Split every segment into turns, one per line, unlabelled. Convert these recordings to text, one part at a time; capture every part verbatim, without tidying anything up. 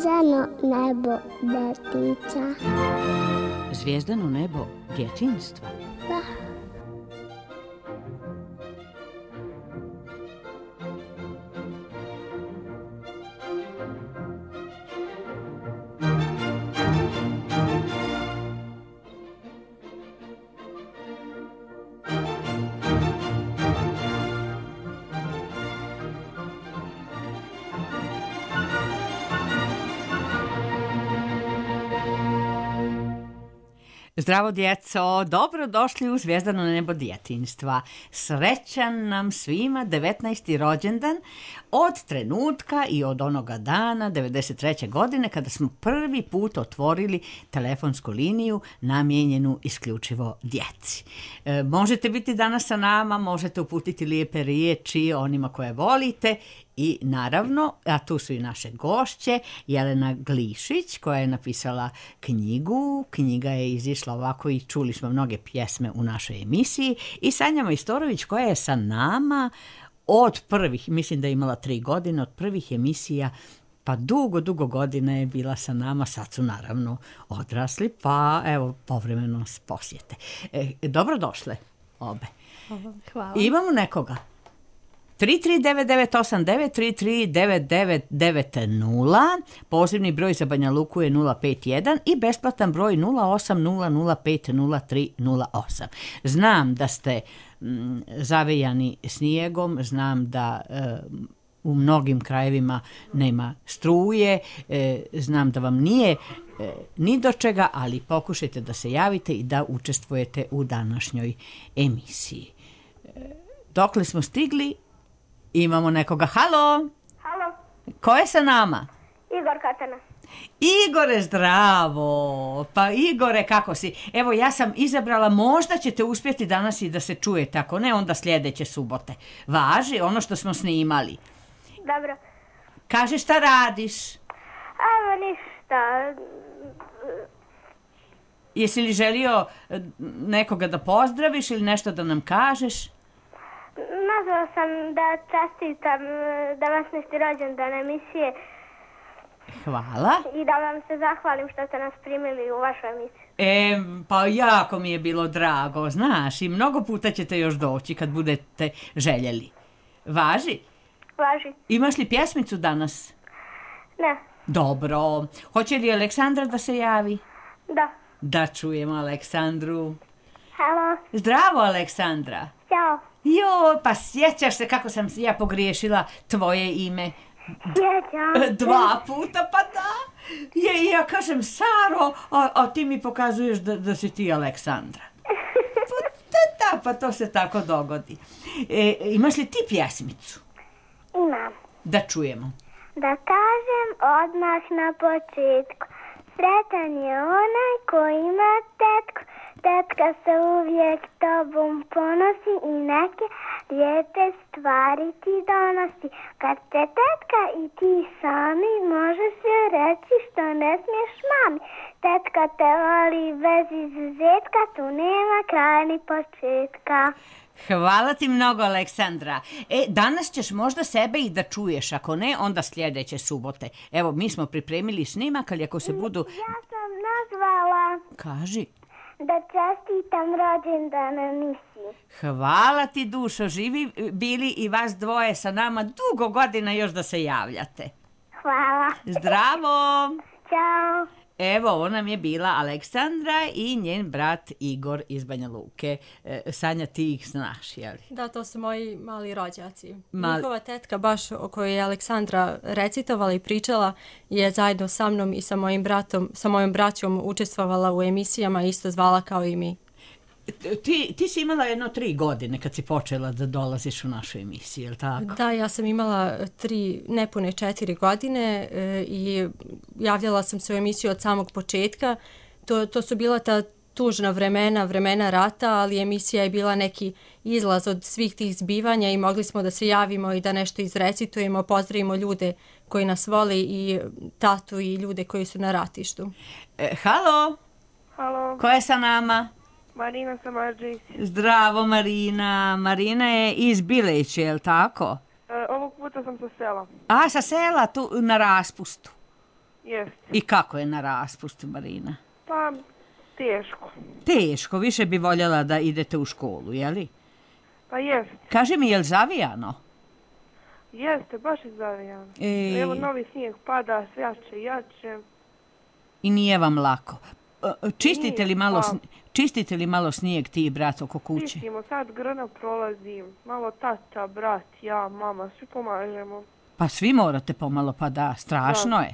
Zvezdano nebo detica.
Zvijezdano nebo djetinjstva?
Da.
Zdravo djeco, dobrodošli u Zvijezdano nebo djetinjstva. Srećan nam svima devetnaesti rođendan od trenutka i od onoga dana devedeset treće godine kada smo prvi put otvorili telefonsku liniju namijenjenu isključivo djeci. E, možete biti danas sa nama, možete uputiti lijepe riječi onima koje volite. I naravno, a tu su i naše gošće, Jelena Glišić koja je napisala knjigu, knjiga je izišla ovako i čuli smo mnoge pjesme u našoj emisiji, i Sanja Majstorović koja je sa nama od prvih, mislim da je imala tri godine, od prvih emisija, pa dugo, dugo godina je bila sa nama, sad su naravno odrasli, pa evo povremeno nas posjete. E, dobrodošle obe.
Hvala.
Imamo nekoga? tri tri devet devet osam devet tri tri devet devet devet nula, pozivni broj za Banja Luku je nula pet jedan i besplatan broj nula osam nula nula pet nula tri nula osam. Znam da ste m, zavejani snijegom, znam da e, u mnogim krajevima nema struje, e, znam da vam nije e, ni do čega, ali pokušajte da se javite i da učestvujete u današnjoj emisiji. E, dokle smo stigli? Imamo nekoga. Halo?
Halo?
Ko je sa nama?
Igor Katana.
Igore, zdravo. Pa Igore, kako si? Evo, ja sam izabrala, možda ćete uspjeti danas i da se čujete, ako ne, onda sljedeće subote. Važi ono što smo snimali.
Dobro.
Kaži šta radiš?
Evo ništa.
Jesi li želio nekoga da pozdraviš ili nešto da nam kažeš?
Nazvala sam da čestitam današnji rođendan emisije.
Hvala.
I da vam se zahvalim što ste nas primili u vašu emisiju.
E, pa jako mi je bilo drago, znaš, i mnogo puta ćete još doći kad budete željeli. Važi?
Važi.
Imaš li pjesmicu danas?
Ne.
Dobro. Hoće li Aleksandra da se javi?
Da.
Da čujemo Aleksandru.
Halo.
Zdravo, Aleksandra.
Ćao.
Jo, pa sjećaš se kako sam ja pogriješila tvoje ime?
Sjećam.
Dva puta, pa da. Je, ja kažem Saro, a, a ti mi pokazuješ da, da si ti Aleksandra. Pa da, da, pa to se tako dogodi. E, imaš li ti pjesmicu?
Imam.
Da čujemo.
Da kažem odmah na početku. Sretan je onaj koji ima tetku. Tetka se uvijek tobom ponosi i neke lijepe stvari ti donosi. Kad te tetka i ti sami možeš joj reći što ne smiješ mami. Tetka te voli bez izuzetka, tu nema kraja ni početka.
Hvala ti mnogo, Aleksandra. E, danas ćeš možda sebe i da čuješ, ako ne, onda sljedeće subote. Evo, mi smo pripremili snimak, ali ako se budu...
Ja sam nazvala...
Kaži.
Da čestitam rođendan emisiji.
Hvala ti, dušo, živi bili i vas dvoje sa nama dugo godina još da se javljate.
Hvala.
Zdravo.
Ćao.
Evo, ovo nam je bila Aleksandra i njen brat Igor iz Banja Luke. E, Sanja, ti ih znaš, jel?
Da, to su moji mali rođaci.
Mal...
Njihova tetka, baš o kojoj je Aleksandra recitovala i pričala, je zajedno sa mnom i sa mojim bratom, sa mojom braćom učestvovala u emisijama, isto zvala kao i mi.
Ti, ti si imala jedno tri godine kad si počela da dolaziš u našu emisiju, je li tako?
Da, ja sam imala tri, nepune četiri godine e, i javljala sam se u emisiju od samog početka. To, to su bila ta tužna vremena, vremena rata, ali emisija je bila neki izlaz od svih tih zbivanja i mogli smo da se javimo i da nešto izrecitujemo, pozdravimo ljude koji nas vole i tatu i ljude koji su na ratištu.
E, halo?
Halo.
Ko je sa nama?
Marina Samarđić.
Zdravo, Marina. Marina je iz Bileće, je li tako?
E, ovog puta sam sa sela.
A, sa sela, tu na raspustu.
Jeste.
I kako je na raspustu, Marina?
Pa, teško.
Teško, više bi voljela da idete u školu, jeli?
Pa jeste.
Kaži mi, je li zavijano?
Jeste, baš je zavijano.
E...
Evo, novi snijeg pada, sve jače i jače.
I nije vam lako. Čistite
Nije,
li malo,
pa...
sn... čistite li malo snijeg ti, brat, oko kuće?
Čistimo, sad grna prolazi, malo tata, brat, ja, mama, svi pomažemo.
Pa svi morate pomalo, pa da, strašno
da.
je.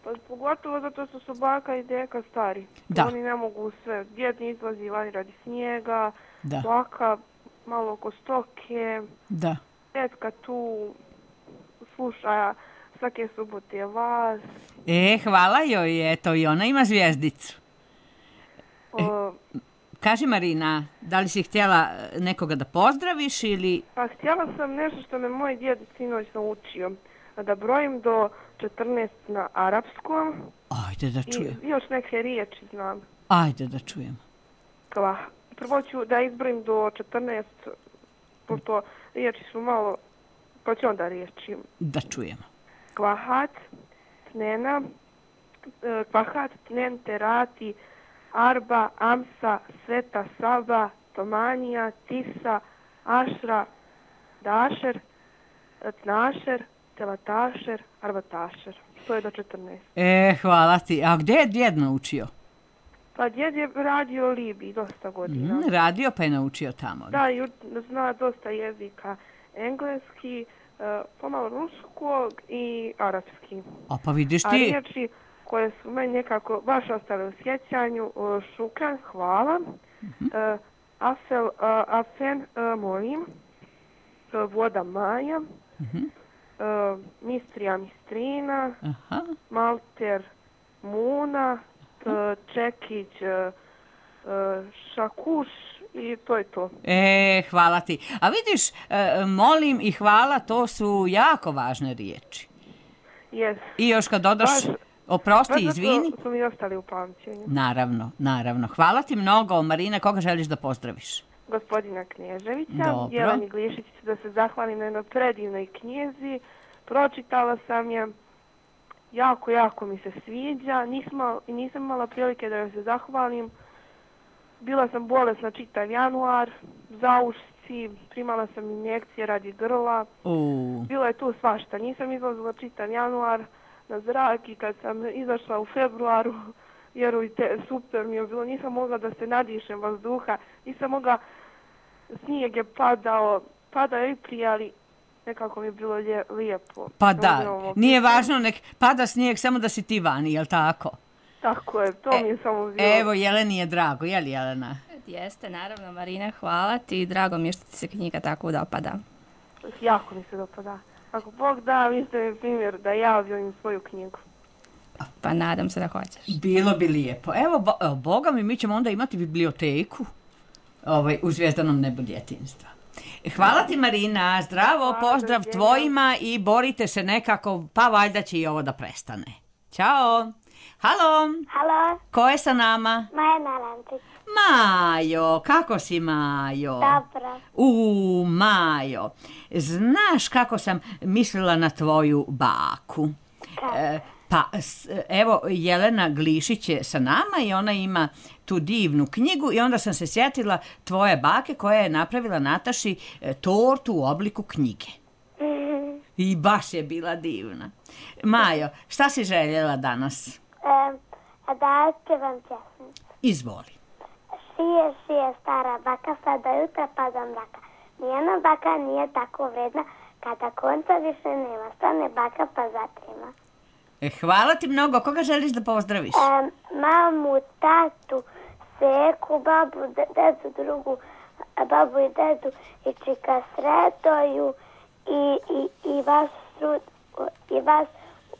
Pa pogotovo zato što su baka i deka stari.
Da.
Oni ne mogu sve, djed ne izlazi vani radi snijega,
da.
baka malo oko stoke,
da.
tetka tu sluša svake subote vas.
E, hvala joj, eto, i ona ima zvijezdicu. E, kaži, Marina, da li si htjela nekoga da pozdraviš ili...
Pa htjela sam nešto što me moj djed sinoć naučio. Da brojim do četrnaest na arapskom.
Ajde da čujem.
I još neke riječi znam.
Ajde da čujem.
Kva. Prvo ću da izbrojim do četrnaest, pošto riječi su malo, pa ću onda riječi.
Da čujemo.
Kvahat, tnena, kvahat, tnen, terati, arba, amsa, sveta, saba, tomanija, tisa, ašra, dašer, tnašer, telatašer, arbatašer. To je do četrnaest.
E, hvala ti. A gdje je djed naučio?
Pa djed je radio u Libiji dosta godina.
Mm, radio pa je naučio tamo.
Da, i zna dosta jezika. Engleski, pomalo ruskog i arapski.
A pa vidiš ti...
A riječi koje su meni nekako baš ostale u sjećanju, šukran, hvala,
mm-hmm.
afel, afen, molim, voda maja,
mm-hmm.
mistrija, mistrina,
aha.
malter, muna, čekić, šakuš i to je to.
E, hvala ti. A vidiš, molim i hvala, to su jako važne riječi.
Yes.
I još kad dodaš,
baš,
oprosti,
baš
izvini.
Baš su mi ostali u pamćenju.
Naravno, naravno. Hvala ti mnogo, Marina, koga želiš da pozdraviš?
Gospodina Kneževića,
Dobro.
Jeleni Glišić, da se zahvalim na jednoj predivnoj knjizi. Pročitala sam je, jako, jako mi se sviđa. Nisam, nisam imala prilike da joj se zahvalim. Bila sam bolesna čitav januar, zaušci, primala sam injekcije radi grla.
Uh.
Bilo je tu svašta. Nisam izlazila čitav januar na zrak i kad sam izašla u februaru, vjerujte, super mi je bilo. Nisam mogla da se nadišem vazduha, nisam mogla, snijeg je padao, padao je i prije, ali nekako mi je bilo lje, lijepo.
Pa da, nije važno, nek pada snijeg, samo da si ti vani, jel tako?
Tako je, to e, mi je samo bilo.
Evo, Jeleni je drago, je li Jelena?
Jeste, naravno, Marina, hvala ti. Drago mi je što ti se knjiga tako dopada.
Jako mi se dopada. Ako Bog da, vi ste mi primjer da ja objavim svoju knjigu.
Pa nadam se da hoćeš.
Bilo bi lijepo. Evo, bo, evo Boga mi, mi ćemo onda imati biblioteku ovaj, u Zvijezdanom nebu djetinjstva. Hvala ti, Marina, zdravo, hvala, pozdrav da tvojima i borite se nekako, pa valjda će i ovo da prestane. Ćao. Halo.
Halo.
Ko je sa nama?
Maja Narančić.
Majo, kako si, Majo?
Dobro.
U, Majo, znaš kako sam mislila na tvoju baku? E, pa, evo, Jelena Glišić je sa nama i ona ima tu divnu knjigu i onda sam se sjetila tvoje bake koja je napravila Nataši tortu u obliku knjige.
Mm-hmm.
I baš je bila divna. Majo, šta si željela danas?
E, da otpevam pjesmicu.
Izvoli.
Šije, šije, stara baka, sada jutra pa do mraka. Nijena baka nije tako vredna, kada konca više nema. Stane baka pa zatrima.
E, hvala ti mnogo. Koga želiš da pozdraviš?
E, mamu, tatu, seku, babu, dedu, drugu, babu i dedu, i čika Sretoju, i, i, i vas, i vas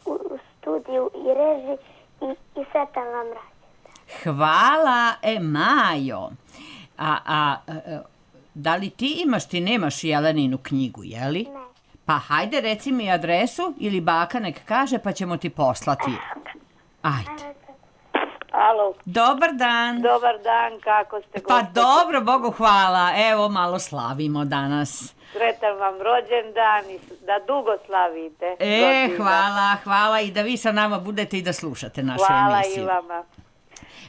u, u studiju, i reži, i, i sretan vam rad.
Hvala, e, Majo. A, a, a, da li ti imaš, ti nemaš Jeleninu knjigu, jeli?
Ne.
Pa hajde, reci mi adresu ili baka nek kaže pa ćemo ti poslati. Ajde.
Alo.
Dobar dan.
Dobar dan, kako ste,
Pa
gospođo?
dobro, Bogu hvala. Evo, malo slavimo danas.
Sretan vam rođendan i da dugo slavite.
E,
godina.
hvala, hvala i da vi sa nama budete i da slušate našu
Hvala
emisiju.
i vama.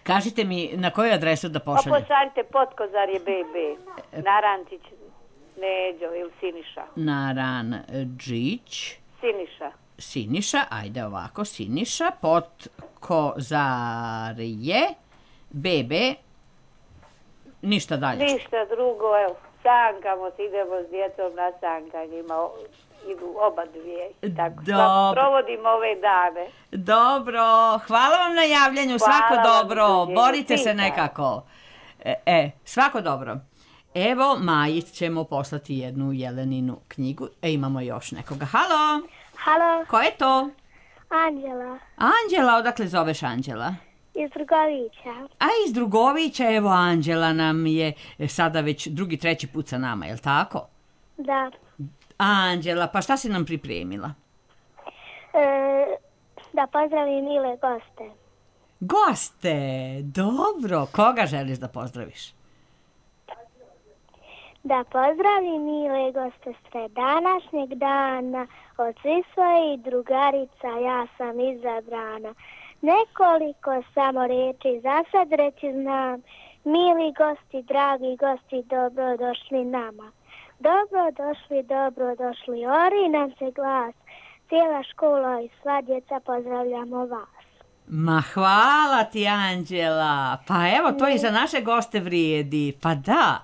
Kažite mi na koju adresu da
Pa
pošaljem?
pošaljite Potkozarje be be. Narančić, Neđo ili Siniša.
Naranđić,
Siniša.
Siniša, ajde ovako, Siniša, Potkozarje, bebe, ništa dalje.
Ništa drugo, evo, sankamo se, idemo s djecom na sankanje, ima, idu oba dvije. i Tako,
Dobro.
provodimo ove dane.
Dobro, hvala vam na javljanju,
Hvala
svako
vam,
dobro,
doviđenja.
borite se
Pita.
nekako. E, e, svako dobro. Evo, Maji ćemo poslati jednu Jeleninu knjigu. E, imamo još nekoga. Halo,
Halo,
ko je to?
Anđela
Anđela, odakle zoveš Anđela?
iz Drugovića.
A iz Drugovića, evo Anđela nam je sada već drugi, treći put sa nama, je li tako?
Da.
Anđela, pa šta si nam pripremila?
E, da pozdravim mile goste.
Goste, dobro. Koga želiš da pozdraviš?
Da pozdravim mile goste sve današnjeg dana, od svih svojih drugarica ja sam izabrana. Nekoliko samo reči za sad reći znam, mili gosti, dragi gosti, dobro došli nama. Dobro došli, dobro došli, ori nam se glas, cijela škola i sva djeca pozdravljamo vas.
Ma hvala ti, Anđela. Pa evo, to i za naše goste vrijedi. Pa da.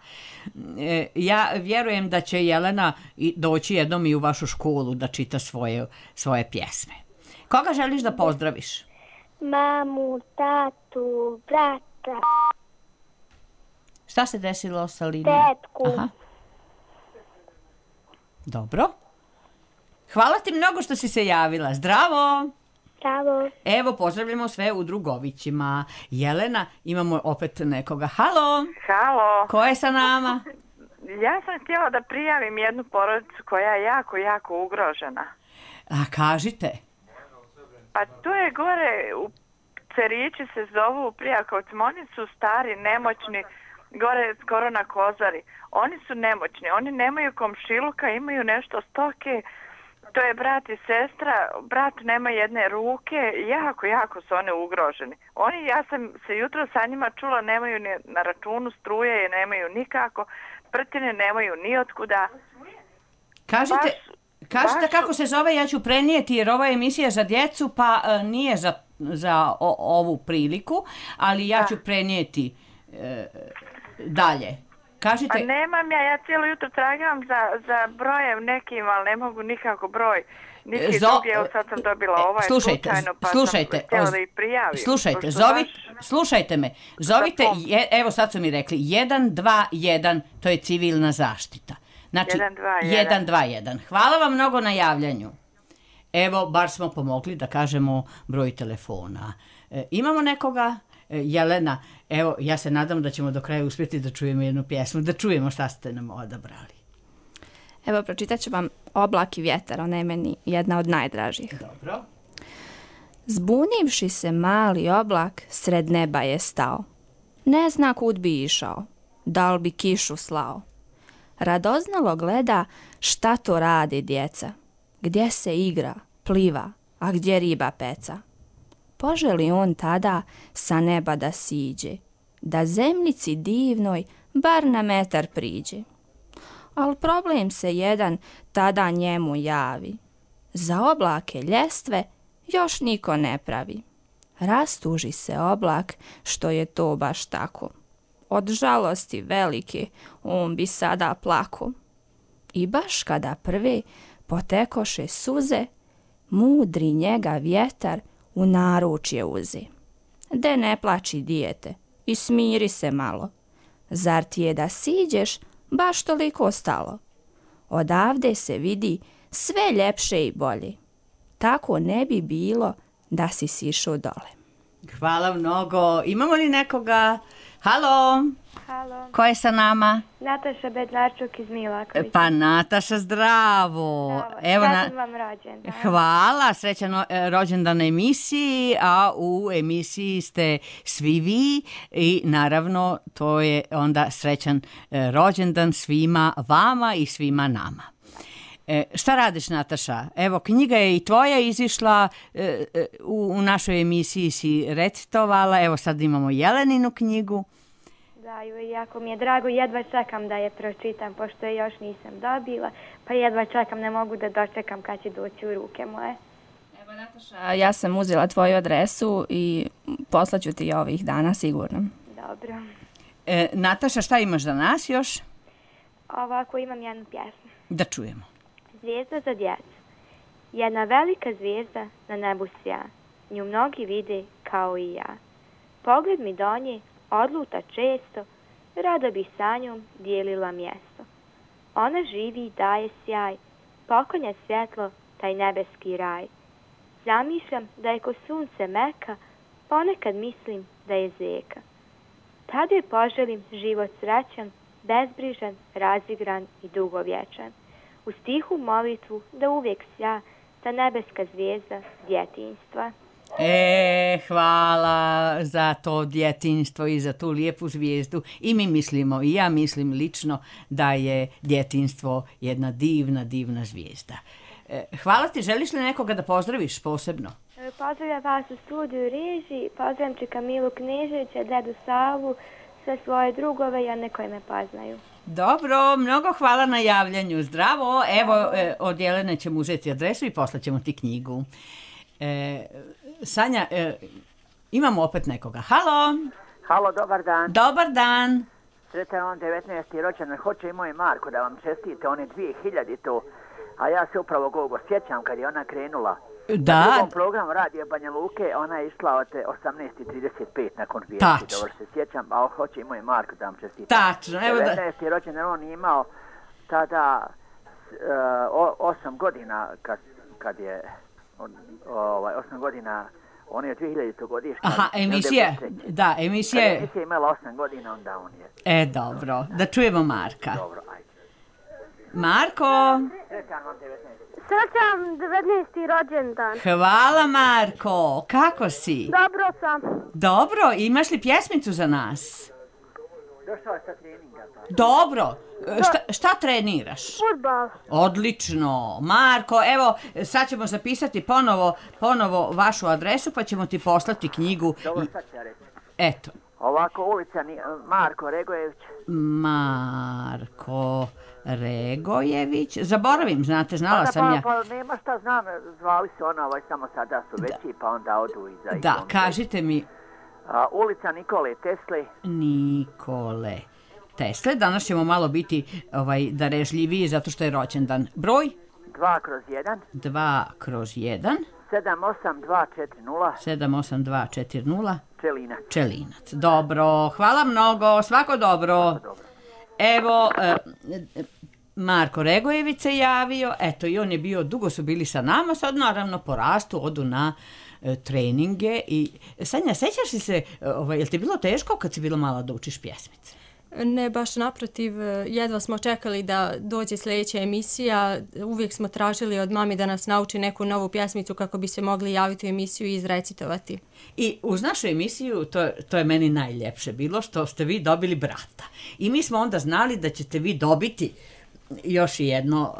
E, ja vjerujem da će Jelena i- doći jednom i u vašu školu da čita svoje, svoje pjesme. Koga želiš da pozdraviš?
Mamu, tatu, brata,
Šta se desilo sa linijom?
tetku.
Aha. Dobro. Hvala ti mnogo što si se javila. Zdravo!
Bravo.
Evo, pozdravljamo sve u Drugovićima. Jelena, imamo opet nekoga. Halo,
Halo,
ko je sa nama?
ja sam htjela da prijavim jednu porodicu koja je jako, jako ugrožena.
A kažite.
Pa to je gore, u Cerići se zovu u Prijakovcima, oni su stari, nemoćni, gore skoro na Kozari. Oni su nemoćni, oni nemaju komšiluka, imaju nešto stoke, to je brat i sestra, brat nema jedne ruke, jako, jako su oni ugroženi. Oni, ja sam se jutro sa njima čula, nemaju ni na računu struje, je nemaju nikako, prtine nemaju ni otkuda.
Kažite,
Baš-
kažite
baš-
kako se zove, ja ću prenijeti jer ova emisija je za djecu, pa e, nije za, za o- ovu priliku, ali ja ću prenijeti e, dalje. Kažite,
Pa nemam ja, ja cijelo jutro tragam za, za brojem nekim, ali ne mogu nikako broj. Niti
Zo-
drugi, evo sad sam dobila
e,
ovaj
slušajte,
slučajno, pa
slušajte,
sam htjela
oz-
da ih prijavim.
slušajte,
pošto
zovi,
baš-
slušajte me, zovite,
pom-
je, evo sad su mi rekli, jedan dva jedan, to je civilna zaštita. Znači,
jedan dva jedan.
jedan dva jedan. Hvala vam mnogo na javljanju. Evo, bar smo pomogli da kažemo broj telefona. E, imamo nekoga? E, Jelena, evo, ja se nadam da ćemo do kraja uspjeti da čujemo jednu pjesmu, da čujemo šta ste nam odabrali.
Evo, pročitat ću vam Oblak i vjetar, ona je meni jedna od najdražih.
Dobro.
Zbunivši se mali oblak, sred neba je stao. Ne zna kud bi išao, da li bi kišu slao. Radoznalo gleda šta to radi djeca, gdje se igra, pliva, a gdje riba peca. Poželi on tada sa neba da siđe, da zemljici divnoj bar na metar priđe. Al problem se jedan tada njemu javi. Za oblake ljestve još niko ne pravi. Rastuži se oblak što je to baš tako. Od žalosti velike on bi sada plako. I baš kada prve potekoše suze, mudri njega vjetar u naručje uze. De ne plači dijete i smiri se malo. Zar ti je da siđeš baš toliko stalo? Odavde se vidi sve ljepše i bolje. Tako ne bi bilo da si sišao dole.
Hvala mnogo. Imamo li nekoga? Halo,
Halo,
ko je sa nama?
Nataša Bednarčuk iz Milakovića.
Pa Nataša, zdravo.
Bravo,
Evo na...
srećan vam rođendan.
Hvala, srećan e, rođendan na emisiji, a u emisiji ste svi vi i naravno to je onda srećan e, rođendan svima vama i svima nama. E, šta radiš, Nataša? Evo, knjiga je i tvoja izišla, e, e, u, u našoj emisiji si recitovala, evo sad imamo Jeleninu knjigu.
Da, i jako mi je drago, jedva čekam da je pročitam, pošto je još nisam dobila, pa jedva čekam, ne mogu da dočekam kad će doći u ruke moje.
Evo, Nataša, ja sam uzela tvoju adresu i poslaću ti ovih dana sigurno.
Dobro.
E, Nataša, šta imaš za nas još?
Ovako imam jednu pjesmu.
Da čujemo.
Zvijezda za djecu. Jedna velika zvijezda na nebu sja, nju mnogi vide kao i ja. Pogled mi do nje odluta često, rado bi sa njom dijelila mjesto. Ona živi i daje sjaj, poklanja svjetlo taj nebeski raj. Zamišljam da je ko sunce meka, ponekad mislim da je zeka. Tad joj poželim život srećan, bezbrižan, razigran i dugovječan. U stihu molitvu da uvijek sja ta nebeska zvijezda djetinjstva.
E, hvala za to djetinjstvo i za tu lijepu zvijezdu. I mi mislimo, i ja mislim lično, da je djetinjstvo jedna divna, divna zvijezda. E, hvala ti, želiš li nekoga da pozdraviš posebno?
Pozdravljam vas u studiju Riži, pozdravljam Čika Milu Kneževića, dedu Savu, sve svoje drugove i one koje me poznaju.
Dobro, mnogo hvala na javljanju. Zdravo, evo e, od Jelene ćemo uzeti adresu i poslaćemo ti knjigu. E, Sanja, e, imamo opet nekoga. Halo?
Halo, dobar dan.
Dobar dan.
Sretan on devetnaesti rođendan. Hoće i moj Marko da vam čestite, on je dvije hiljadite. A ja se upravo Gogo sjećam kad je ona krenula.
Da.
Na drugom programu Radio Banja Luke, ona je išla od osamnaest trideset pet nakon vijesti.
Tačno.
Dobro se sjećam, a hoće i moj Marko da vam čestite.
Tačno, evo da.
devetnaesti rođendan, on je imao tada uh, osam godina kad, kad je on, ovaj, osam godina. On je dvije hiljadite godišnja.
Aha, emisija, da, emisija je...
Emisija je imala osam godina, onda on je...
E, dobro, da čujemo Marka.
Dobro, ajde.
Marko!
Sretan vam devetnaesti.
Srećan devetnaesti rođendan.
Hvala, Marko, kako si?
Dobro sam.
Dobro, imaš li pjesmicu za nas?
Došao je sa treninga. Pa.
Dobro, šta, šta treniraš?
Fudbal.
Odlično, Marko, evo, sad ćemo zapisati ponovo, ponovo vašu adresu, pa ćemo ti poslati knjigu.
Dobro, sad ću ja reći.
Eto.
Ovako, ulica ni, Marko Regojević.
Marko Regojević. Zaboravim, znate, znala
pa,
sam
pa,
ja.
Pa nema šta znam, zvali se ona, ovaj, samo sada su veći, da. Pa onda odu iza.
Da, kažite mi.
A, ulica Nikole Tesle.
Nikole Tesle. Danas ćemo malo biti ovaj, darežljiviji zato što je rođendan. Broj?
dva kroz jedan.
dva kroz jedan.
sedam osam dva četiri nula.
sedam osam dva četiri nula.
Čelinac.
Čelinac. Dobro, hvala mnogo, svako dobro.
Svako dobro.
Evo, e, Marko Regojević se javio, eto i on je bio, dugo su bili sa nama, sad naravno porastu, odu na e, treninge i Sanja, sećaš li se, ovaj, je li ti bilo teško kad si bila mala da učiš pjesmice?
Ne, baš naprotiv, jedva smo čekali da dođe sljedeća emisija, uvijek smo tražili od mami da nas nauči neku novu pjesmicu kako bi se mogli javiti u emisiju i izrecitovati.
I uz našu emisiju, to, to je meni najljepše bilo, što ste vi dobili brata. I mi smo onda znali da ćete vi dobiti još jedno,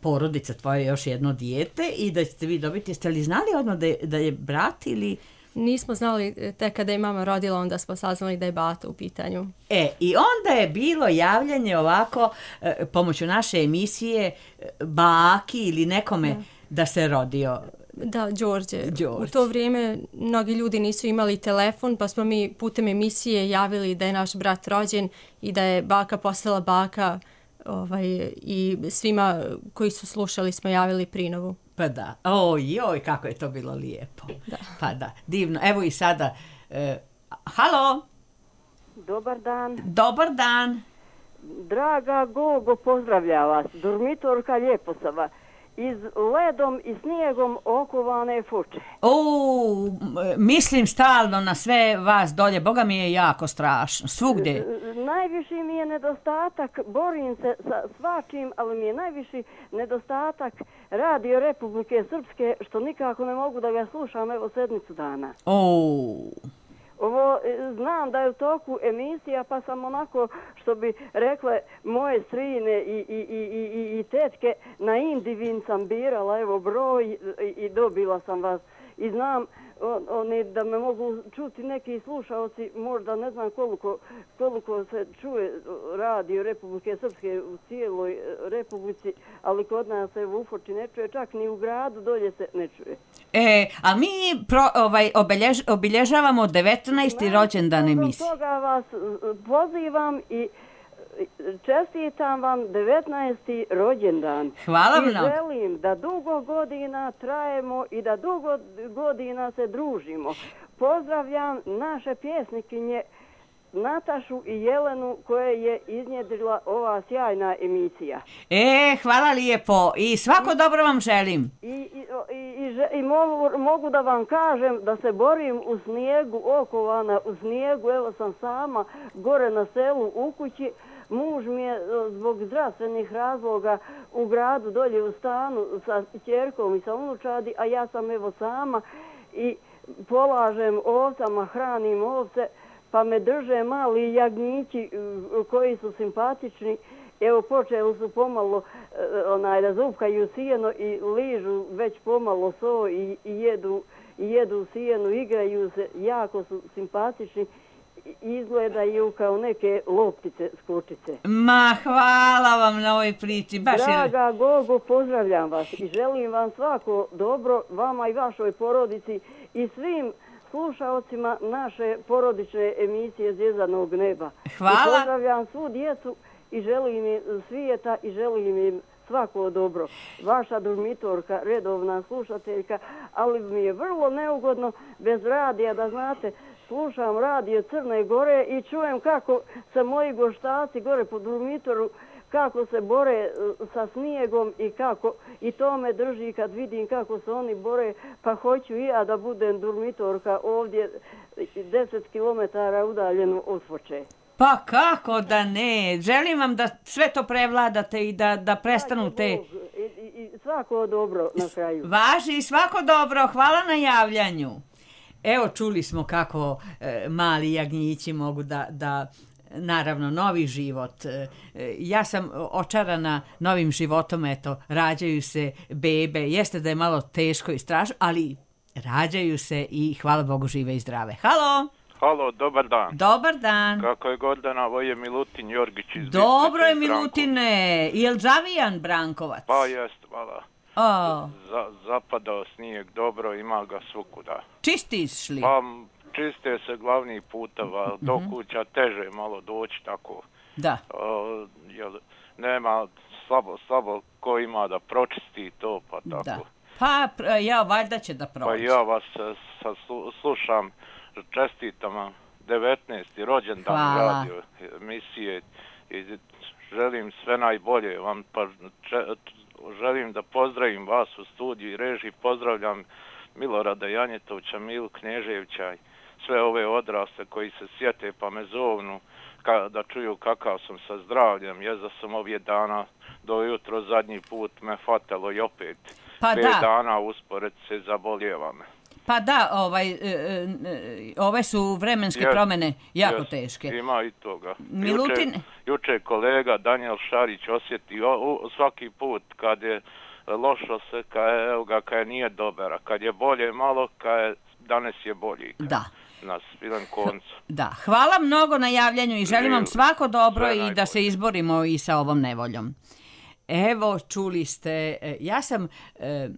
porodica tvoja, još jedno dijete i da ćete vi dobiti, jeste li znali odmah da je, da je brat ili...
Nismo znali, tek kada je mama rodila, onda smo saznali da je bata u pitanju.
E, i onda je bilo javljanje ovako, e, pomoću naše emisije, baki ili nekome da, da se rodio.
Da, Đorđe.
Đorđe.
U to vrijeme mnogi ljudi nisu imali telefon, pa smo mi putem emisije javili da je naš brat rođen i da je baka postala baka, ovaj, i svima koji su slušali smo javili prinovu.
Pa da, oj, oj, kako je to bilo lijepo.
Da.
Pa da, divno. Evo i sada, e, halo?
Dobar dan.
Dobar dan.
Draga Gogo, pozdravlja vas. Durmitorka Ljeposava. iz ledom i snijegom okovane fuče.
O, mislim stalno na sve vas dolje, Boga mi je jako strašno, svugdje.
Najviši mi je nedostatak, borim se sa svačim, ali mi je najviši nedostatak Radio Republike Srpske, što nikako ne mogu da ga slušam, evo sedmicu dana.
O.
Ovo, znam da je u toku emisija, pa sam onako, što bi rekle moje strine i, i, i, i, i tetke, na Indivin sam birala, evo, broj i, i dobila sam vas. I znam on, oni da me mogu čuti neki slušalci, možda ne znam koliko, koliko se čuje Radio Republike Srpske u cijeloj Republici, ali kod nas se u Ufoči ne čuje, čak ni u gradu dolje se ne čuje.
E, a mi pro, ovaj, obiljež, obilježavamo devetnaesti rođendan emisije.
Zbog toga vas pozivam i čestitam vam devetnaesti rođendan.
Hvala
I
mnogo.
želim da dugo godina trajemo i da dugo godina se družimo. Pozdravljam naše pjesnikinje Natašu i Jelenu koje je iznjedrila ova sjajna emisija.
E, hvala lijepo i svako dobro vam želim.
I, i, i, i, i mogu, mogu da vam kažem da se borim u snijegu, okovana u snijegu, evo sam sama gore na selu u kući. Muž mi je zbog zdravstvenih razloga u gradu dolje u stanu sa ćerkom i sa unučadi, a ja sam evo sama i polažem ovcama, hranim ovce, pa me drže mali jagnjići koji su simpatični. Evo počeli su pomalo onaj, da zupkaju sijeno i ližu već pomalo so i, i, jedu, i jedu sijenu, igraju se, jako su simpatični. Izgledaju kao neke loptice s kučice.
Ma, hvala vam na ovoj priči. Baš
Draga je... Gogo, pozdravljam vas i želim vam svako dobro, vama i vašoj porodici i svim slušaocima naše porodične emisije Zvjezdanog neba.
Hvala.
I pozdravljam svu djecu i želim im svijeta i želim im svako dobro. Vaša Durmitorka, redovna slušateljka, ali mi je vrlo neugodno bez radija, da znate, slušam radio Crne Gore i čujem kako se moji goštaci gore po Durmitoru, kako se bore sa snijegom i kako i to me drži kad vidim kako se oni bore, pa hoću i ja da budem Durmitorka ovdje deset kilometara udaljeno od Foče.
Pa kako da ne, želim vam da sve to prevladate i da, da prestanu te...
I, i, i svako dobro na kraju.
Važi i svako dobro, hvala na javljanju. Evo, čuli smo kako e, mali jagnjići mogu da, da, naravno, novi život. E, ja sam očarana novim životom, eto, rađaju se bebe, jeste da je malo teško i strašno, ali rađaju se i hvala Bogu žive i zdrave. Halo!
Halo, dobar dan.
Dobar dan.
Kako je Gordana, ovo je Milutin Jorgić iz Biskupa.
Dobro je, Milutine. Je li Zavijan Brankovac?
Pa jest, hvala.
O.
Za, zapadao snijeg dobro, ima ga svukuda.
Čistiš li?
Pa čiste se glavni puteva, mm-hmm. do kuća teže malo doći tako.
Da.
O, jel, nema slabo, slabo ko ima da pročisti to, pa tako.
Da. Pa ja valjda će da proći.
Pa ja vas sa, slušam, čestitam vam devetnaesti rođendan radio emisije i želim sve najbolje vam, pa če, želim da pozdravim vas u studiju i režiji, pozdravljam Milorada Janjetovića, Milu Knježevića i sve ove odrasle koji se sjete pa me zovnu ka, da čuju kakav sam sa zdravljem, jer da sam ovje dana do jutro zadnji put me fatalo i opet
pa
pet dana uspored se zaboljeva me.
Pa da, ovaj, e, e, ove su vremenske yes, promjene jako yes, teške.
Ima i toga.
Milutin...
Juče, juče kolega Daniel Šarić osjeti o, u, svaki put kad je lošo se, kad je, evo ga, kad je nije dobar, kad je bolje malo, kad je danas je bolji.
Da.
Na svilen koncu.
Da, hvala mnogo na javljanju i želim vam svako dobro sve i najbolje. Da se izborimo i sa ovom nevoljom. Evo, čuli ste, ja sam... E,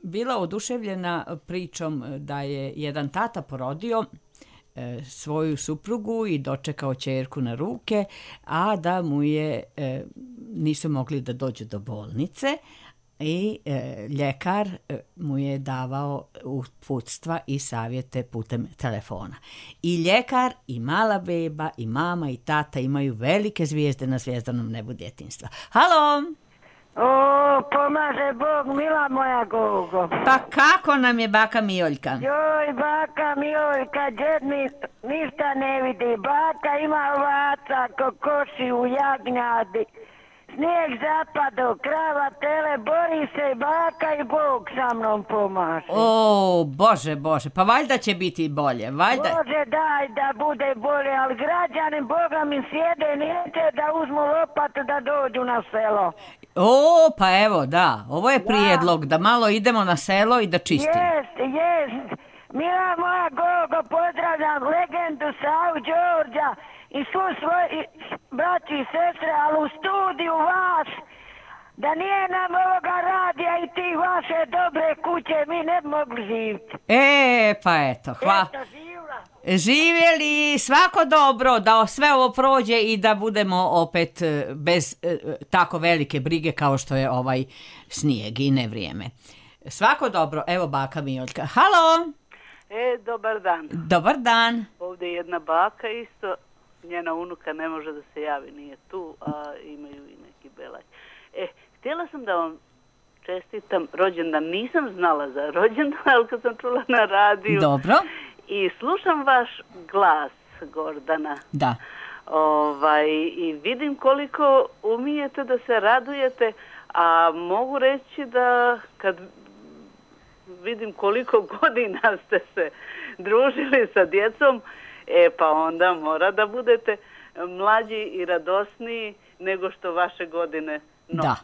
bila oduševljena pričom da je jedan tata porodio e, svoju suprugu i dočekao ćerku na ruke, a da mu je e, nisu mogli da dođu do bolnice i e, ljekar e, mu je davao uputstva i savjete putem telefona. I ljekar i mala beba i mama i tata imaju velike zvijezde na zvjezdanom nebu djetinjstva. Halo!
O, pomaže Bog, mila moja Gogo.
Pa kako nam je baka Mijoljka?
Joj, baka Mijoljka, djed mi ništa ne vidi. Baka ima ovaca, kokoši u jagnjadi. Snijeg zapado, krava, tele, bori se, baka i Bog sa mnom pomaže.
O, Bože, Bože, pa valjda će biti bolje, valjda...
Bože, daj da bude bolje, ali građani Boga mi sjede, neće da uzmu lopatu da dođu na selo.
O, pa evo, da, ovo je prijedlog, da malo idemo na selo i da čistimo.
Jest, jest. Mila moja Gogo, pozdravljam legendu Savu Đorđa i svu svoji braći i sestre, ali u studiju vas, da nije nam ovoga radija i ti vaše dobre kuće, mi ne bi mogli živjeti.
E, pa eto, hvala.
Eto, živla.
Živjeli, svako dobro, da sve ovo prođe i da budemo opet bez e, tako velike brige kao što je ovaj snijeg i nevrijeme. Svako dobro, evo baka Mijoljka. Halo!
E, dobar dan.
Dobar dan.
Ovdje je jedna baka isto, njena unuka ne može da se javi, nije tu, a imaju i neki belaj. E, htjela sam da vam čestitam rođendan, nisam znala za rođendan, ali kad sam čula na radiju.
Dobro.
I slušam vaš glas, Gordana.
Da.
Ovaj, i vidim koliko umijete da se radujete, a mogu reći da kad vidim koliko godina ste se družili sa djecom, e pa onda mora da budete mlađi i radosniji nego što vaše godine nose.
Da.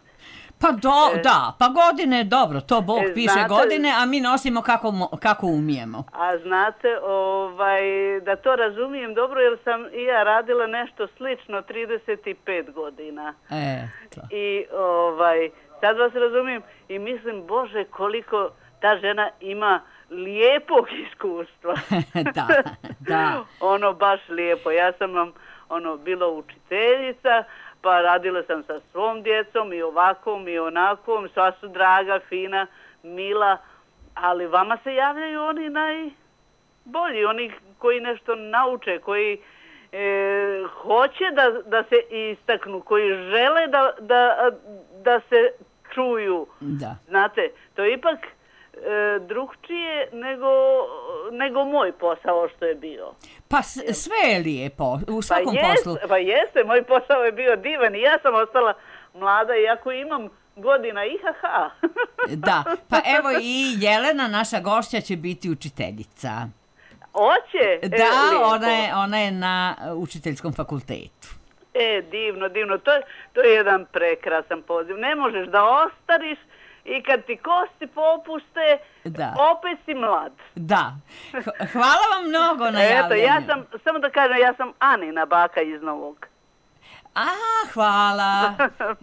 Pa do, e, da, pa godine, dobro, to Bog e, piše znate, godine, a mi nosimo kako, kako umijemo.
A znate, ovaj, da to razumijem dobro, jer sam i ja radila nešto slično trideset pet godina.
E, to.
I ovaj, sad vas razumijem i mislim, Bože, koliko ta žena ima lijepog iskustva.
Da, da.
Ono baš lijepo. Ja sam vam ono bila učiteljica, pa radila sam sa svom djecom i ovakvom i onakvom, sva su draga, fina, mila, ali vama se javljaju oni najbolji, oni koji nešto nauče, koji e, hoće da, da se istaknu, koji žele da, da, da se čuju.
Da.
Znate, to je ipak e, drugčije nego, nego moj posao što je bio.
Pa sve je lijepo, u svakom
pa jest,
poslu.
Pa jeste, moj posao je bio divan i ja sam ostala mlada iako imam godina ihaha.
Da, pa evo i Jelena, naša gošća, će biti učiteljica.
Oće?
Da,
e,
ona, je, ona je na učiteljskom fakultetu.
E, divno, divno. To je, to je jedan prekrasan poziv. Ne možeš da ostariš i kad ti kosti popuste,
da.
Opet si mlad.
Da. Hvala vam mnogo na javljanju.
Eto, ja sam, samo da kažem, ja sam Anina baka iz Novog.
A, hvala.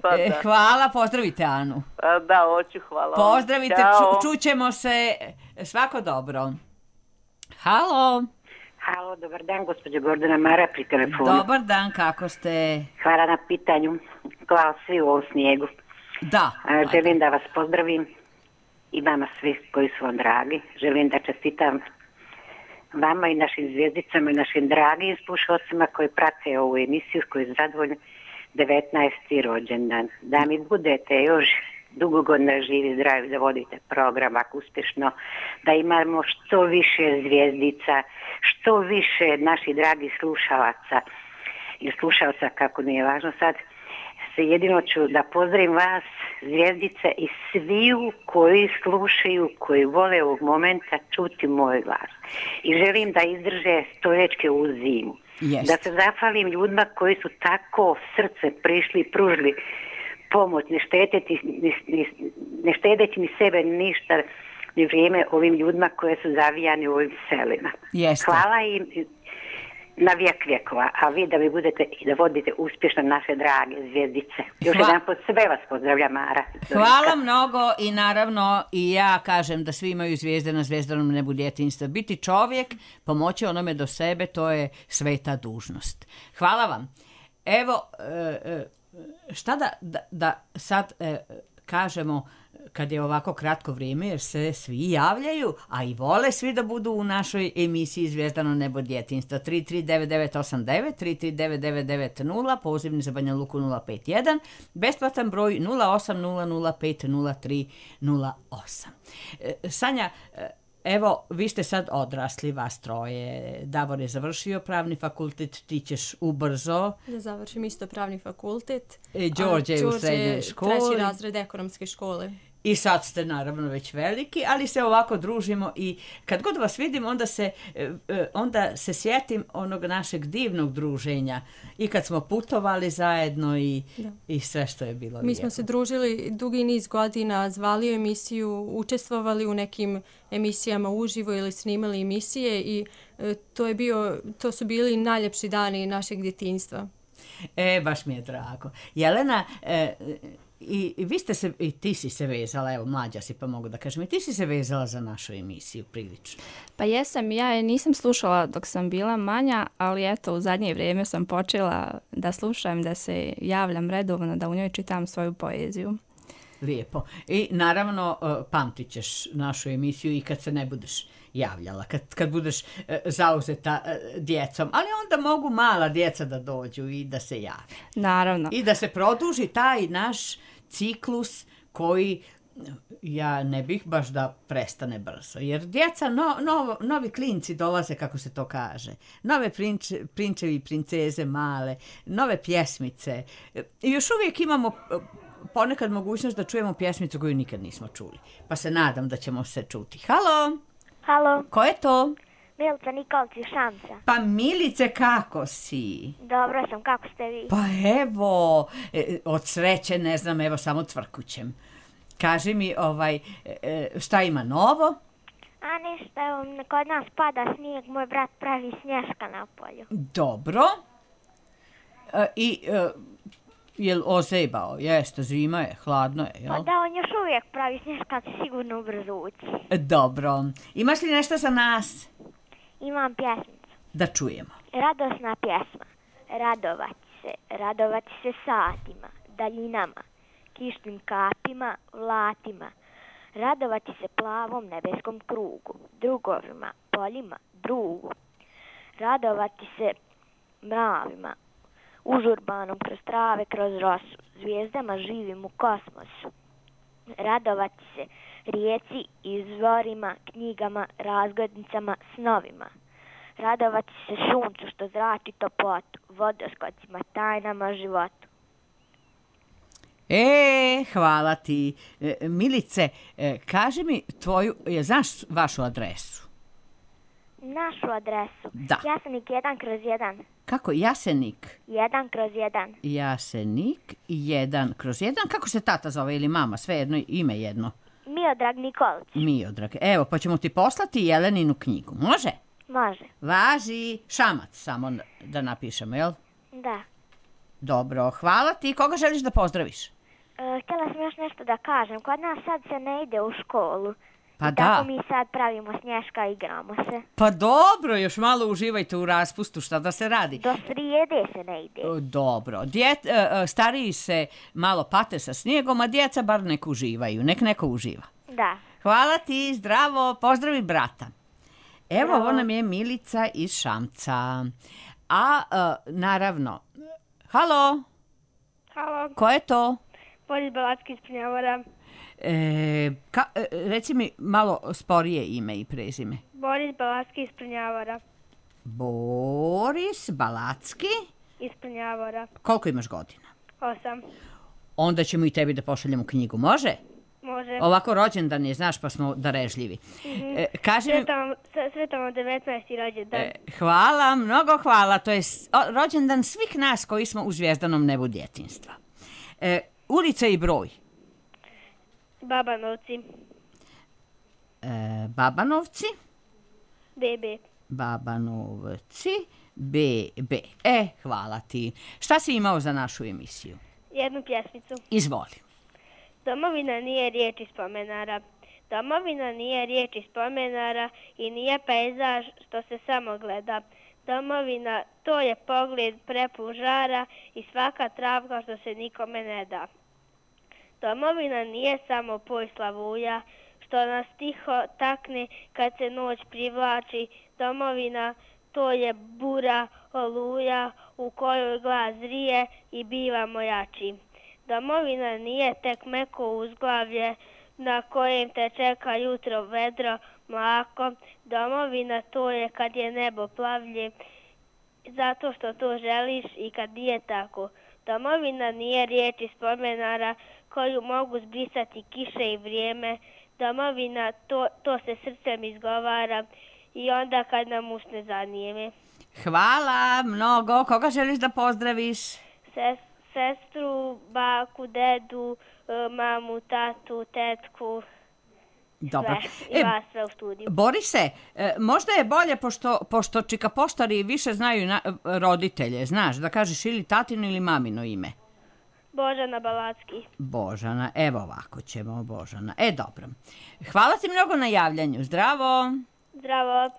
Pa
e, hvala, pozdravite Anu.
A, da, hoću, hvala.
Pozdravite, ču, čućemo se, svako dobro. Halo.
Halo, dobar dan, gospođa Gordana Mara pri telefonu.
Dobar dan, kako ste?
Hvala na pitanju. Hvala svi u ovom snijegu.
Da.
A, želim da vas pozdravim i vama svi koji su vam dragi. Želim da čestitam vama i našim zvijezdicama i našim dragim slušalcima koji prate ovu emisiju, koji su zadovoljni devetnaesti rođendan. Da mi budete još dugo godina živi, zdravi, da vodite program ako uspješno, da imamo što više zvijezdica, što više naših dragih slušalaca ili slušalca, kako nije važno sad, se jedino ću da pozdravim vas, zvijezdice, i sviju koji slušaju, koji vole ovog momenta čuti moj glas. I želim da izdrže stoljećke u zimu.
Jest.
Da se zahvalim ljudima koji su tako srce prišli i pružili pomoć, ne štedeći ni, ni, ne štedeći ni sebe ni ništa, ni vrijeme ovim ljudima koje su zavijani u ovim selima.
Jeste.
Hvala im na vijek vjekova, a vi da vi budete i da vodite uspješno naše drage zvijezdice. Još
Hva...
jedan pod sve vas pozdravlja Mara.
Hvala mnogo i naravno i ja kažem da svi imaju zvijezde na zvjezdanom nebu djetinjstva. Biti čovjek, pomoći onome do sebe, to je sveta dužnost. Hvala vam. Evo, šta da, da, da sad kažemo kad je ovako kratko vrijeme, jer se svi javljaju, a i vole svi da budu u našoj emisiji Zvijezdano nebo djetinjstva. tri tri devet devet osam devet, tri tri devet devet devet nula, pozivni za Banja Luku nula pet jedan, besplatan broj nula osam nula nula pet nula tri nula osam. Sanja, evo, vi ste sad odrasli, vas troje. Davor je završio pravni fakultet, ti ćeš ubrzo.
Ja završim isto pravni fakultet.
E, Đorđe je u srednjoj školi.
Treći razred ekonomske škole.
I sad ste naravno već veliki, ali se ovako družimo i kad god vas vidim, onda se, onda se sjetim onog našeg divnog druženja. I kad smo putovali zajedno i, i sve što je bilo.
Mi lijepo. Smo se družili dugi niz godina, zvali u emisiju, učestvovali u nekim emisijama uživo ili snimali emisije i to, je bio, to su bili najljepši dani našeg djetinjstva.
E, baš mi je drago. Jelena, e, I, i vi ste se, i ti si se vezala, evo mlađa si pa mogu da kažem, i ti si se vezala za našu emisiju prilično.
Pa jesam, ja je nisam slušala dok sam bila manja, ali eto u zadnje vrijeme sam počela da slušam, da se javljam redovno, da u njoj čitam svoju poeziju.
Lijepo. I naravno pamtit ćeš našu emisiju i kad se ne budeš javljala, kad, kad budeš e, zauzeta e, djecom, ali onda mogu mala djeca da dođu i da se jave.
Naravno.
I da se produži taj naš ciklus koji ja ne bih baš da prestane brzo, jer djeca, no, no, novi klinci dolaze, kako se to kaže, nove prinče, prinčevi i princeze male, nove pjesmice. I još uvijek imamo ponekad mogućnost da čujemo pjesmicu koju nikad nismo čuli, pa se nadam da ćemo se čuti. Halo!
Halo.
Ko je to?
Milica Nikolić iz Šamca.
Pa Milice, kako si?
Dobro sam, kako ste vi?
Pa evo, od sreće ne znam, evo samo cvrkućem. Kaži mi, ovaj, šta ima novo?
A ništa, evo, kod nas pada snijeg, moj brat pravi snješka na polju.
Dobro. E, I... E, jel ozebao? Jeste, zima je, hladno je, jel?
Pa da, on još uvijek pravi snješka, će sigurno ubrzo ući.
Dobro. Imaš li nešto za nas?
Imam pjesmicu.
Da čujemo.
Radosna pjesma. Radovati se, radovati se satima, daljinama, kišnim kapima, vlatima. Radovati se plavom nebeskom krugu, drugovima, poljima, drugu. Radovati se mravima, užurbanom kroz trave, kroz rosu, zvijezdama živim u kosmosu. Radovati se rijeci, izvorima, knjigama, razglednicama, snovima. Radovati se suncu što zrači toplotu, vodoskocima, tajnama, životu.
E, hvala ti. E, Milice, e, kaži mi tvoju, je, znaš vašu adresu?
Našu adresu?
Da.
Jasenik jedan kroz jedan.
Kako? Jasenik?
jedan kroz jedan.
Jasenik jedan kroz jedan. Kako se tata zove ili mama? Sve jedno ime jedno.
Miodrag Nikolić.
Miodrag. Evo, pa ćemo ti poslati Jeleninu knjigu. Može?
Može.
Važi Šamac, samo da napišemo, jel?
Da.
Dobro, hvala ti. Koga želiš da pozdraviš?
E, htjela sam još nešto da kažem. Kod nas sad se ne ide u školu.
Pa
I
da.
tako mi sad pravimo snješka i igramo se.
Pa dobro, još malo uživajte u raspustu, šta da se radi.
Do srijede se ne ide.
Dobro. Djet, stariji se malo pate sa snijegom, a djeca bar nek uživaju. Nek neko uživa.
Da.
Hvala ti, zdravo, pozdravi brata. Evo,
Zdravo.
ovo nam je Milica iz Šamca. A, uh, naravno, halo?
Halo.
Ko je to?
Boris Balacki iz Prnjavora.
E, ka, e, reci mi malo sporije ime i prezime.
Boris Balacki iz Prnjavora.
Boris Balacki?
Iz Prnjavora.
Koliko imaš godina?
Osam.
Onda ćemo i tebi da pošaljemo knjigu, može?
Može.
Ovako rođendan je, znaš, pa smo darežljivi.
Mm-hmm.
E, kaži mi...
Sretamo devetnaesti rođendan.
E, hvala, mnogo hvala. To je o, rođendan svih nas koji smo u zvijezdanom nebu djetinjstva. E, ulica i broj?
Babanovci.
E, Babanovci?
B B.
Babanovci, B B. E, hvala ti. Šta si imao za našu emisiju?
Jednu pjesmicu.
Izvoli.
Domovina nije riječ iz spomenara. Domovina nije riječ iz spomenara i nije pejzaž što se samo gleda. Domovina, to je pogled prepun žara i svaka travka što se nikome ne da. Domovina nije samo poj slavuja, što nas tiho takne kad se noć privlači. Domovina, to je bura, oluja, u kojoj glas zrije i bivamo jači. Domovina nije tek meko uzglavlje, na kojem te čeka jutro vedro, mlako. Domovina, to je kad je nebo plavlje, zato što to želiš i kad nije tako. Domovina nije riječ iz spomenara koju mogu zbrisati kiše i vrijeme. Domovina, to, to se srcem izgovara i onda kad nam usne zanijeme.
Hvala mnogo. Koga želiš da pozdraviš?
Ses, sestru, baku, dedu, mamu, tatu, tetku.
Dobro.
Sve, i vas sve u studiju.
Borise, možda je bolje, pošto, pošto čika poštari više znaju na, roditelje, znaš, da kažeš ili tatino ili mamino ime.
Božana Balacki.
Božana, evo ovako ćemo, Božana. E, dobro. Hvala ti mnogo na javljanju. Zdravo.
Zdravo.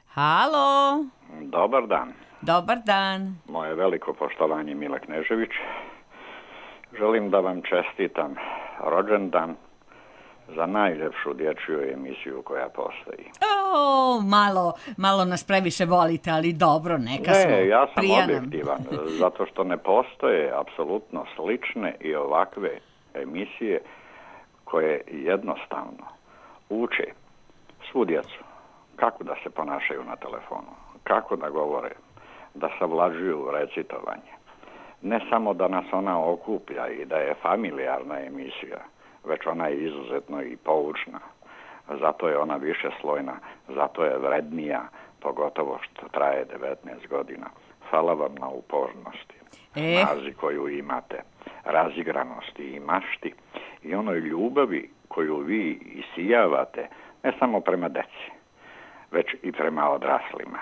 Halo.
Dobar dan.
Dobar dan.
Moje veliko poštovanje, Mila Knežević. Želim da vam čestitam rođendan za najljepšu dječju emisiju koja postoji.
O, malo, malo nas previše volite, ali dobro, neka smo.
Ne, ja sam
prijanom.
objektivan, zato što ne postoje apsolutno slične i ovakve emisije koje jednostavno uče svu djecu kako da se ponašaju na telefonu, kako da govore, da savlađuju recitovanje. Ne samo da nas ona okuplja i da je familijarna emisija, već ona je izuzetno i poučna. Zato je ona višeslojna, zato je vrednija, pogotovo što traje devetnaest godina. Hvala vam na upornosti,
e.
snazi koju imate, razigranosti i mašti i onoj ljubavi koju vi isijavate, ne samo prema deci, već i prema odraslima.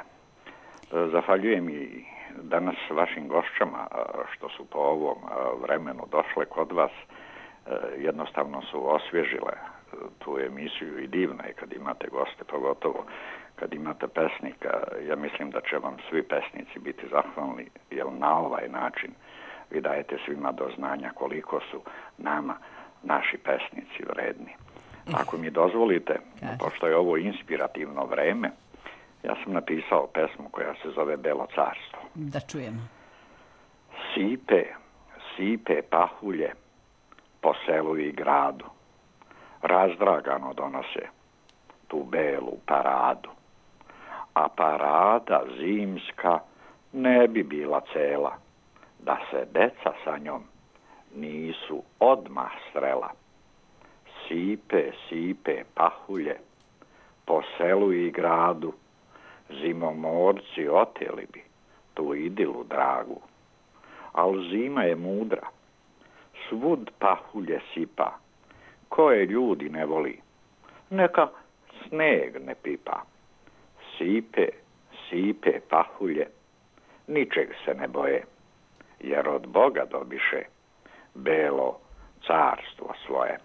Zahvaljujem i danas vašim gošćama što su po ovom vremenu došle kod vas. Jednostavno su osvježile tu emisiju i divno je kad imate goste, pogotovo kad imate pesnika. Ja mislim da će vam svi pesnici biti zahvalni, jer na ovaj način vi dajete svima do znanja koliko su nama naši pesnici vredni. Ako mi dozvolite, pošto je ovo inspirativno vreme, ja sam napisao pesmu koja se zove Belo carstvo.
Da čujemo.
Sipe, sipe pahulje po selu i gradu, razdragano donose tu belu paradu. A parada zimska ne bi bila cela, da se deca sa njom nisu odmah strela. Sipe, sipe pahulje po selu i gradu, zimomorci oteli bi tu idilu dragu. Al zima je mudra, svud pahulje sipa, koje ljudi ne voli, neka sneg ne pipa. Sipe, sipe pahulje, ničeg se ne boje, jer od Boga dobiše belo carstvo svoje.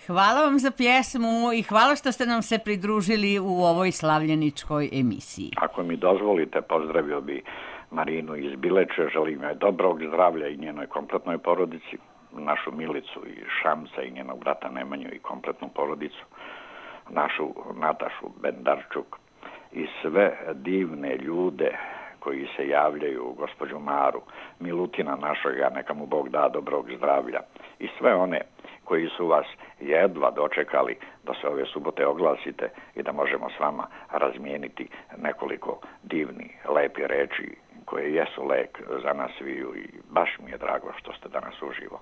Hvala vam za pjesmu i hvala što ste nam se pridružili u ovoj slavljeničkoj emisiji.
Ako mi dozvolite, pozdravio bi Marinu iz Bileče, želim joj dobrog zdravlja i njenoj kompletnoj porodici, našu Milicu i Šamca i njenog brata Nemanju i kompletnu porodicu, našu Natašu Bendarčuk i sve divne ljude koji se javljaju, gospođu Maru, Milutina našega, neka mu Bog da dobrog zdravlja i sve one koji su vas jedva dočekali da se ove subote oglasite i da možemo s vama razmijeniti nekoliko divni, lepi reči koje jesu lek za nas sviju i baš mi je drago što ste danas uživo.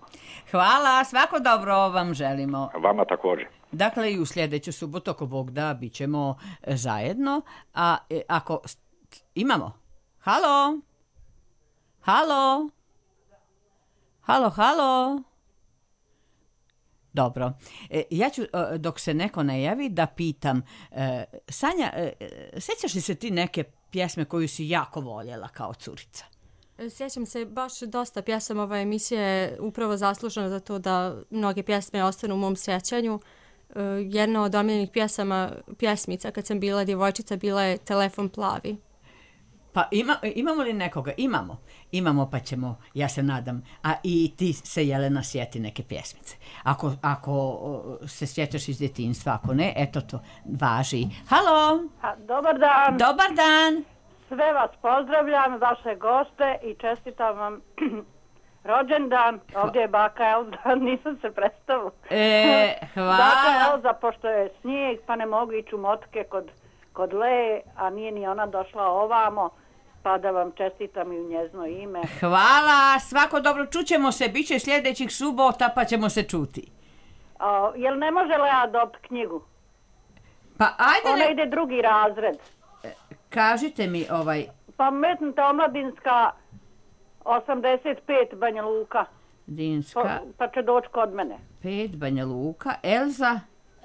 Hvala, svako dobro vam želimo.
Vama također.
Dakle, i u sljedeću subotu, ako Bog da, bit ćemo zajedno. A ako imamo... Halo? Halo? Halo, halo? Dobro. E, ja ću, dok se neko ne javi, da pitam. E, Sanja, e, sjećaš li se ti neke pjesme koju si jako voljela kao curica?
Sjećam se baš dosta pjesama. Ova emisija je upravo zaslužena za to da mnoge pjesme ostanu u mom sjećanju. E, jedna od omiljenih pjesama, pjesmica kad sam bila djevojčica bila je Telefon plavi.
Pa ima, imamo li nekoga? Imamo. Imamo pa ćemo, ja se nadam. A i ti se, Jelena, sjeti neke pjesmice. Ako, ako se sjećaš iz djetinjstva, ako ne, eto to važi. Halo!
A, dobar dan!
Dobar dan!
Sve vas pozdravljam, vaše goste i čestitam vam rođendan. Ovdje je baka Elza, nisam se predstavila.
E, hvala.
Baka Elza, pošto je snijeg, pa ne mogu ići u motke kod, kod Leje, a nije ni ona došla ovamo, pa da vam čestitam i u njezno ime.
Hvala, svako dobro, čućemo se, bit će sljedećih subota, pa ćemo se čuti.
O, jel ne može Lea dobiti knjigu?
Pa ajde...
Ona
ne...
ide drugi razred.
Kažite mi ovaj...
Pa metnuta omladinska osamdeset pet Banja Luka.
Dinska...
Pa, pa će doći kod mene.
pet Banja Luka. Elza?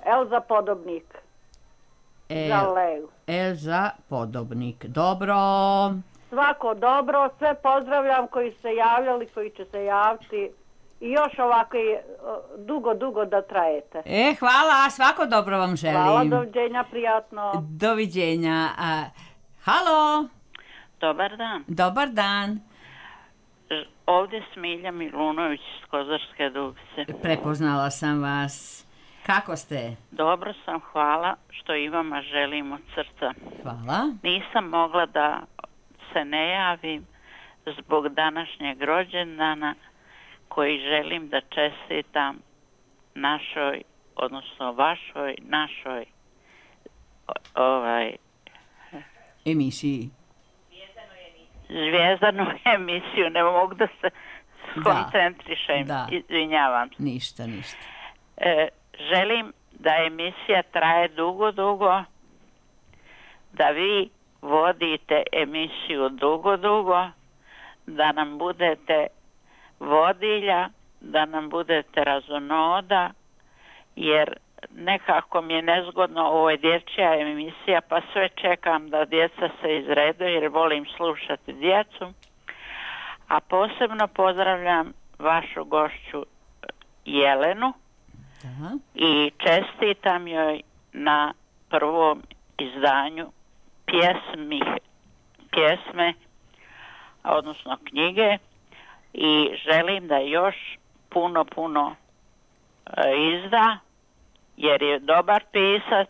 Elza Podobnik.
El...
Za Leju.
Elza Podobnik. Dobro.
Svako dobro. Sve pozdravljam koji se javljali, koji će se javiti. I još ovako dugo, dugo da trajete.
E, hvala. Svako dobro vam želim.
Hvala, doviđenja, prijatno.
Doviđenja. A, halo.
Dobar dan.
Dobar dan.
Ovdje Smilja Milunović iz Kozarske Dubice.
Prepoznala sam vas. Kako ste?
Dobro sam, hvala što i vama želim od srca.
Hvala.
Nisam mogla da se ne javim zbog današnjeg rođendana koji želim da čestitam našoj, odnosno vašoj, našoj ovaj
emisiji.
Zvijezdanu emisiju, ne mogu da se skoncentrišem,
da.
Izvinjavam se.
Ništa, ništa.
E, želim da emisija traje dugo, dugo, da vi vodite emisiju dugo, dugo, da nam budete vodilja, da nam budete razonoda, jer nekako mi je nezgodno, ovo je dječja emisija, pa sve čekam da djeca se izredu jer volim slušati djecu. A posebno pozdravljam vašu gošću Jelenu.
Aha.
I čestitam joj na prvom izdanju pjesmi, pjesme, odnosno knjige, i želim da još puno, puno izda, jer je dobar pisac,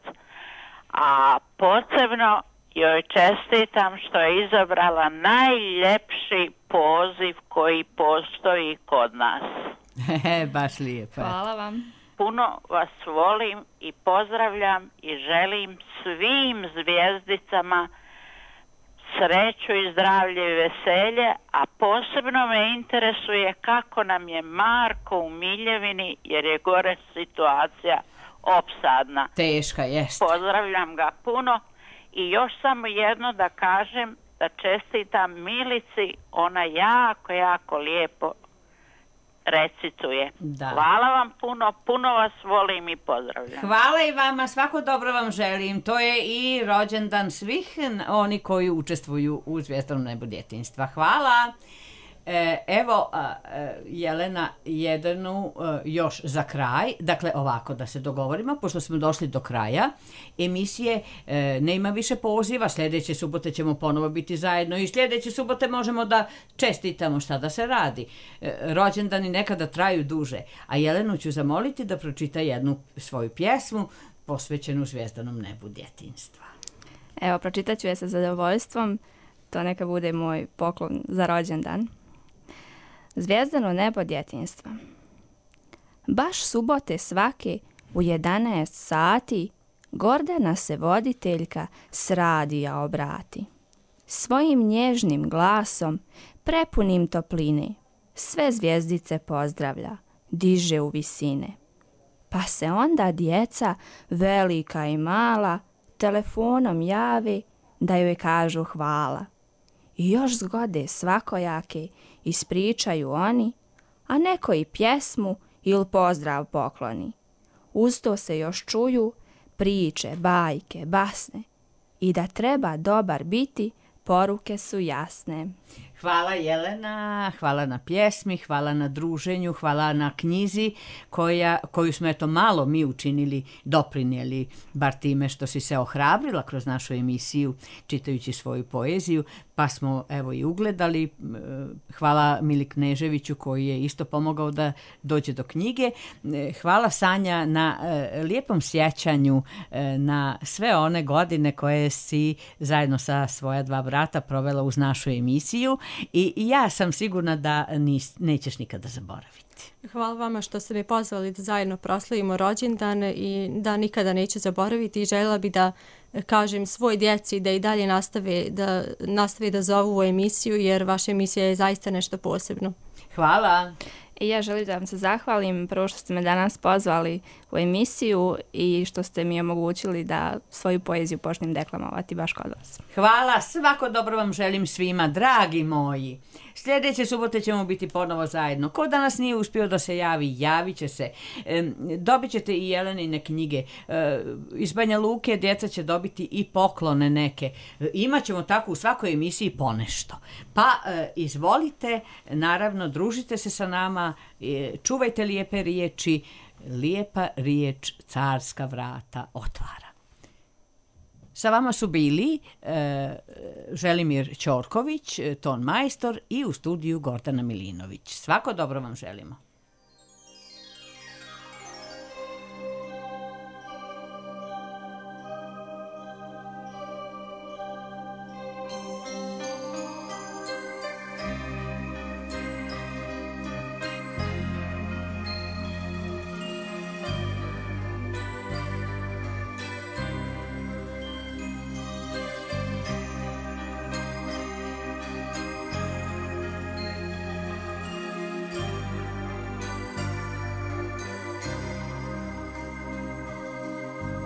a posebno joj čestitam što je izabrala najljepši poziv koji postoji kod nas.
Baš lijepo.
Hvala vam.
Puno vas volim i pozdravljam i želim svim zvijezdicama sreću i zdravlje i veselje, a posebno me interesuje kako nam je Marko u Miljevini, jer je gore situacija opsadna.
Teška, jest.
Pozdravljam ga puno i još samo jedno da kažem, da čestitam Milici, ona jako, jako lijepo recituje.
Da.
Hvala vam puno, puno vas volim i pozdravljam.
Hvala i vama, svako dobro vam želim. To je i rođendan svih oni koji učestvuju u Zvijezdanom nebu djetinjstva. Hvala. E, evo, a, Jelena, jednu a, još za kraj, dakle ovako da se dogovorimo, pošto smo došli do kraja emisije, e, nema više poziva, sljedeće subote ćemo ponovo biti zajedno i sljedeće subote možemo da čestitamo šta da se radi. E, rođendani nekada traju duže, a Jelenu ću zamoliti da pročita jednu svoju pjesmu posvećenu Zvijezdanom nebu djetinjstva.
Evo, pročitat ću je sa zadovoljstvom, to neka bude moj poklon za rođendan. Zvijezdano nebo djetinjstva. Baš subote svake u jedanaest sati Gordana se voditeljka s radija obrati. Svojim nježnim glasom, prepunim topline, sve zvijezdice pozdravlja, diže u visine. Pa se onda djeca, velika i mala, telefonom jave da joj kažu hvala. I još zgode svakojake ispričaju oni, a neko i pjesmu ili pozdrav pokloni. Uz to se još čuju priče, bajke, basne i da treba dobar biti, poruke su jasne.
Hvala Jelena, hvala na pjesmi, hvala na druženju, hvala na knjizi koja, koju smo eto malo mi učinili, doprinijeli, bar time što si se ohrabrila kroz našu emisiju čitajući svoju poeziju, pa smo evo i ugledali. Hvala Mili Kneževiću koji je isto pomogao da dođe do knjige. Hvala Sanja na lijepom sjećanju na sve one godine koje si zajedno sa svoja dva brata provela uz našu emisiju i ja sam sigurna da nis, nećeš nikada zaboraviti.
Hvala vama što ste me pozvali da zajedno proslavimo rođendan i da nikada neću zaboraviti i željela bi da kažem svoj djeci da i dalje nastave da, nastave da zovu u emisiju jer vaša emisija je zaista nešto posebno.
Hvala.
I ja želim da vam se zahvalim prvo što ste me danas pozvali u emisiju i što ste mi omogućili da svoju poeziju počnem deklamovati baš kod vas.
Hvala, svako dobro vam želim svima, dragi moji. Sljedeće subote ćemo biti ponovo zajedno. Ko danas nije uspio da se javi, javit će se. E, dobit ćete i Jelenine knjige. E, iz Banja Luke djeca će dobiti i poklone neke. E, imaćemo tako u svakoj emisiji ponešto. Pa e, izvolite, naravno, družite se sa nama, e, čuvajte lijepe riječi. Lijepa riječ carska vrata otvara. Sa vama su bili e, Želimir Ćorković, ton majstor i u studiju Gordana Milinović. Svako dobro vam želimo.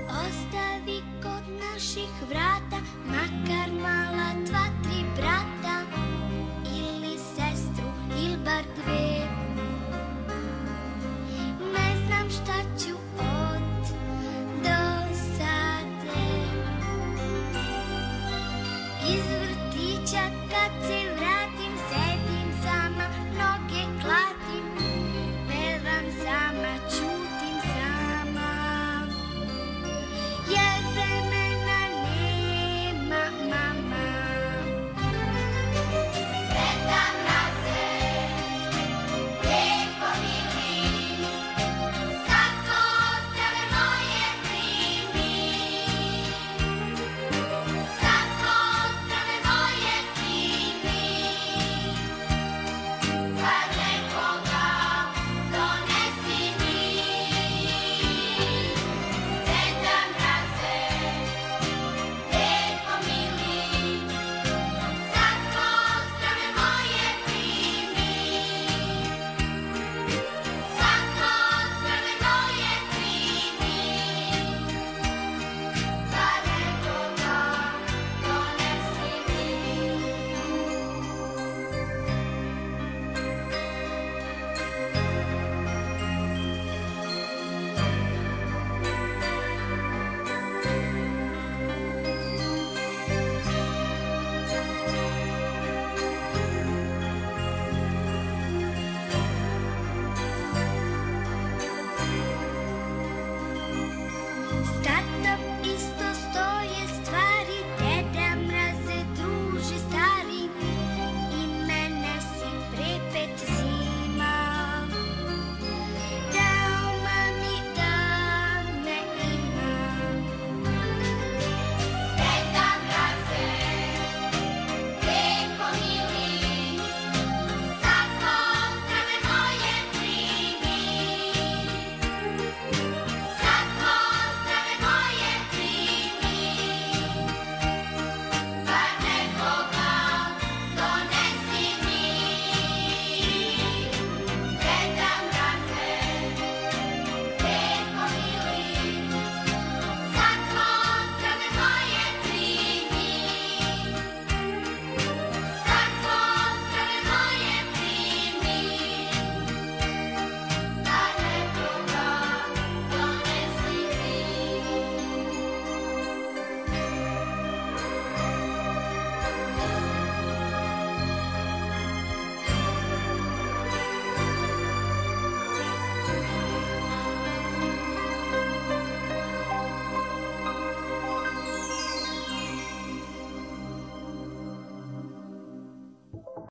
Ostavi kod naših vrata